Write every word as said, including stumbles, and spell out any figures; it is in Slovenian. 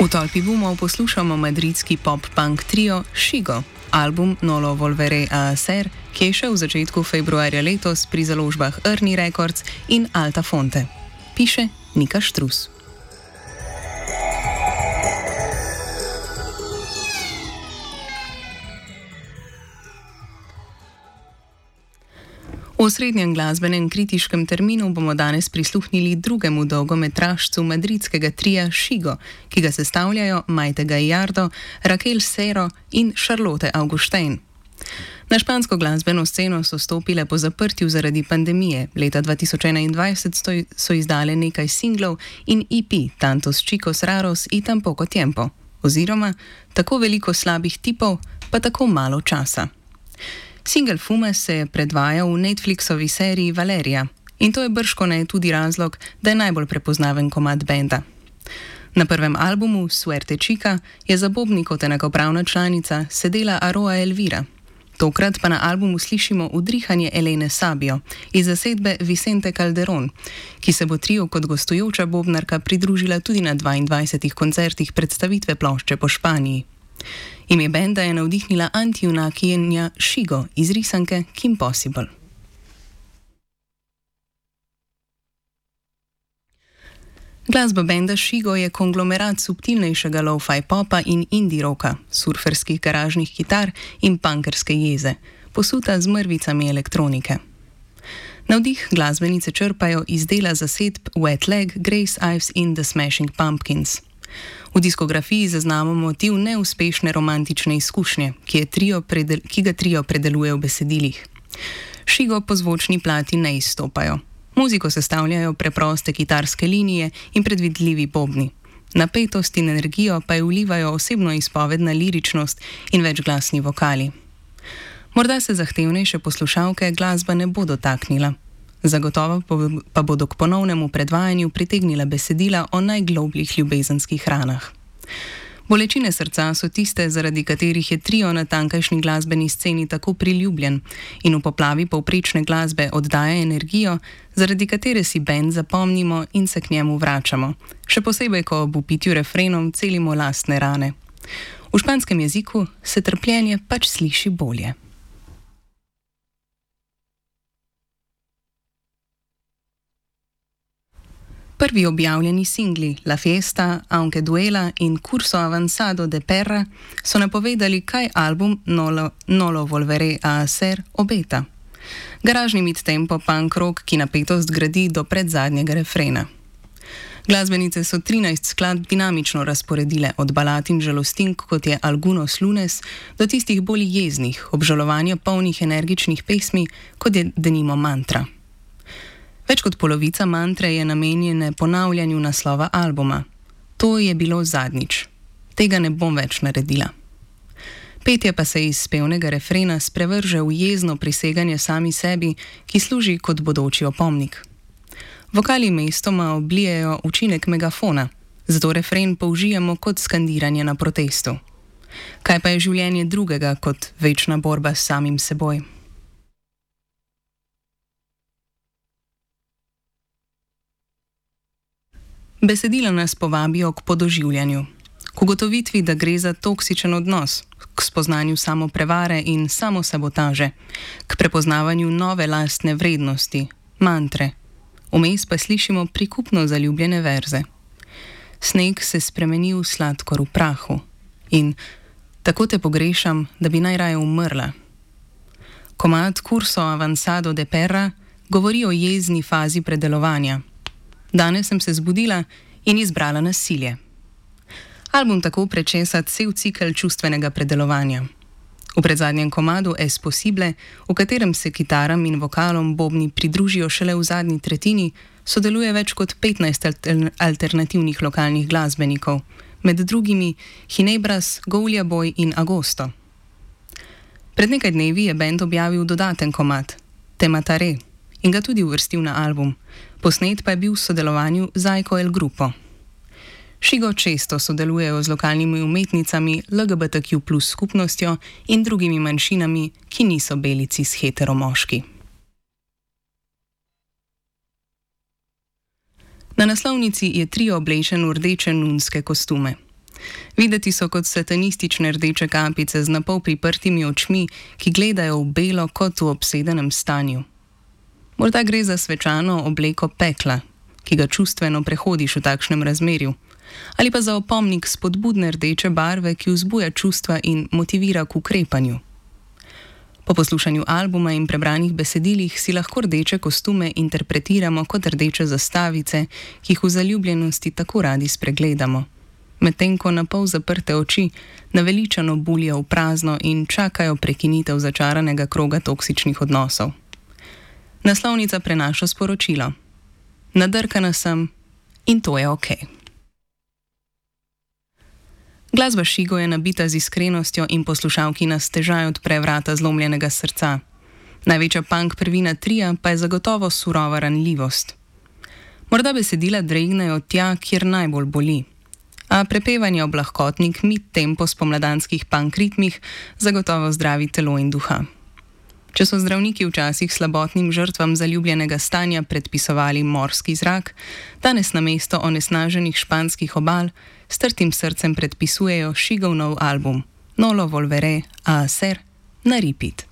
V tolpi bumov poslušamo madridski pop-punk trio Shigo, album Nolo Volveré a Hacer, ki je šel v začetku februarja letos pri založbah Ernie Records in Alta Fonte. Piše Nika Štrus. V osrednjem glasbenem kritiškem terminu bomo danes prisluhnili drugemu dolgometražcu madridskega tria Shigo, ki ga sestavljajo Maite Gallardo, Raquel Cero in Charlotte Augustin. Na špansko glasbeno sceno so stopile po zaprtju zaradi pandemije. Leta dva tisoč enaindvajset so izdale nekaj singlov in E P Tantos Chicos Raros y Tan Poco Tiempo, oziroma Tako veliko slabih tipov, pa tako malo časa. Singel Fume se je predvajal v Netflixovi seriji Valeria in to je bržkone tudi razlog, da je najbolj prepoznaven komad benda. Na prvem albumu Suerte Chica je za bobni kot enakopravna članica sedela Aroa Elvira. Tokrat pa na albumu slišimo udrihanje Elene Sabio iz zasedbe Vicente Calderón, ki se bo trio kot gostujoča bobnarka pridružila tudi na dvaindvajsetih koncertih predstavitve plošče po Španiji. Ime benda je navdihnila antijunakinja Shigo iz risanke Kim Possible. Glasba benda Shigo je konglomerat subtilnejšega lo-fi popa in indie roka, surferskih garažnih kitar in punkerske jeze, posuta z mrvicami elektronike. Navdih glasbenice črpajo iz dela zasedb Wet Leg, Grace Ives in The Smashing Pumpkins. V diskografiji zaznamo motiv neuspešne romantične izkušnje, ki, je trio predel, ki ga trio predeluje v besedilih. Shigo po zvočni plati ne izstopajo. Muziko sestavljajo preproste kitarske linije in predvidljivi bobni. Napetost in energijo pa je vlivajo osebno izpovedna liričnost in večglasni vokali. Morda se zahtevnejše poslušalke glasba ne bo dotaknila. Zagotovo pa bodo k ponovnemu predvajanju pritegnila besedila o najglobljih ljubezenskih ranah. Bolečine srca so tiste, zaradi katerih je trio na tankajšnji glasbeni sceni tako priljubljen in v poplavi povprečne glasbe oddaja energijo, zaradi katere si bend zapomnimo in se k njemu vračamo, še posebej, ko ob vpitju refrenom celimo lastne rane. V španskem jeziku se trpljenje pač sliši bolje. Prvi objavljeni singli La Fiesta, Aunque Duela in Curso Avanzado de Perra so napovedali, kaj album Nolo, Nolo Volveré a Hacer obeta. Garažni mid-tempo punk rock, ki napetost gradi do predzadnjega refrena. Glasbenice so trinajst skladb dinamično razporedile, od balad in žalostink, kot je Algunos Lunes, do tistih bolj jeznih, obžalovanja polnih energičnih pesmi, kot je denimo Mantra. Več kot polovica mantre je namenjene ponavljanju naslova albuma. To je bilo zadnjič. Tega ne bom več naredila. Petje pa se iz pevnega refrena sprevrže v jezno priseganje sami sebi, ki služi kot bodoči opomnik. Vokali mestoma oblijejo učinek megafona, zato refren použijemo kot skandiranje na protestu. Kaj pa je življenje drugega kot večna borba s samim seboj? Besedila nas povabijo k podoživljanju, k ugotovitvi, da gre za toksičen odnos, k spoznanju samoprevare in samosabotaže, k prepoznavanju nove lastne vrednosti, mantre. Vmes pa slišimo prikupno zaljubljene verze. Sneg se spremeni v sladkor v prahu in tako te pogrešam, da bi najraje umrla. Komad Curso Avanzado de Perra govori o jezni fazi predelovanja. Danes sem se zbudila in izbrala nasilje. Album tako prečesa cel cikel čustvenega predelovanja. V predzadnjem komadu Es Possible, v katerem se kitaram in vokalom bobni pridružijo šele v zadnji tretjini, sodeluje več kot petnajst alternativnih lokalnih glasbenikov, med drugimi Ginebras, Goulia Boy in Agosto. Pred nekaj dnevi je bend objavil dodaten komad, Te Mataré, in ga tudi uvrstil na album. Posnet pa je bil v sodelovanju z Aiko El Grupo. Shigo često sodelujejo z lokalnimi umetnicami, L G B T Q plus skupnostjo in drugimi manjšinami, ki niso belici s heteromoški. Na naslovnici je trio oblečen v rdeče nunske kostume. Videti so kot satanistične rdeče kapice z napol priprtimi očmi, ki gledajo v belo kot v obsedenem stanju. Morda gre za svečano obleko pekla, ki ga čustveno prehodiš v takšnem razmerju, ali pa za opomnik spodbudne rdeče barve, ki vzbuja čustva in motivira k ukrepanju. Po poslušanju albuma in prebranih besedilih si lahko rdeče kostume interpretiramo kot rdeče zastavice, ki jih v zaljubljenosti tako radi spregledamo, medtem ko na pol zaprte oči naveličano bulijo v prazno in čakajo prekinitev začaranega kroga toksičnih odnosov. Naslovnica prenaša sporočilo: nadrkana sem in to je okej. Glasba Šigo je nabita z iskrenostjo in poslušalki nas težaj odpre vrata zlomljenega srca. Največja punk prvina trija pa je zagotovo surova ranljivost. Morda besedila dregnejo tja, kjer najbolj boli, a prepevanje ob lahkotnik mid-tempo spomladanskih punk ritmih zagotovo zdravi telo in duha. Če so zdravniki včasih slabotnim žrtvam zaljubljenega stanja predpisovali morski zrak, danes namesto onesnaženih španskih obal s trtim srcem predpisujejo Šigov nov album Nolo volveré a hacer na repeat.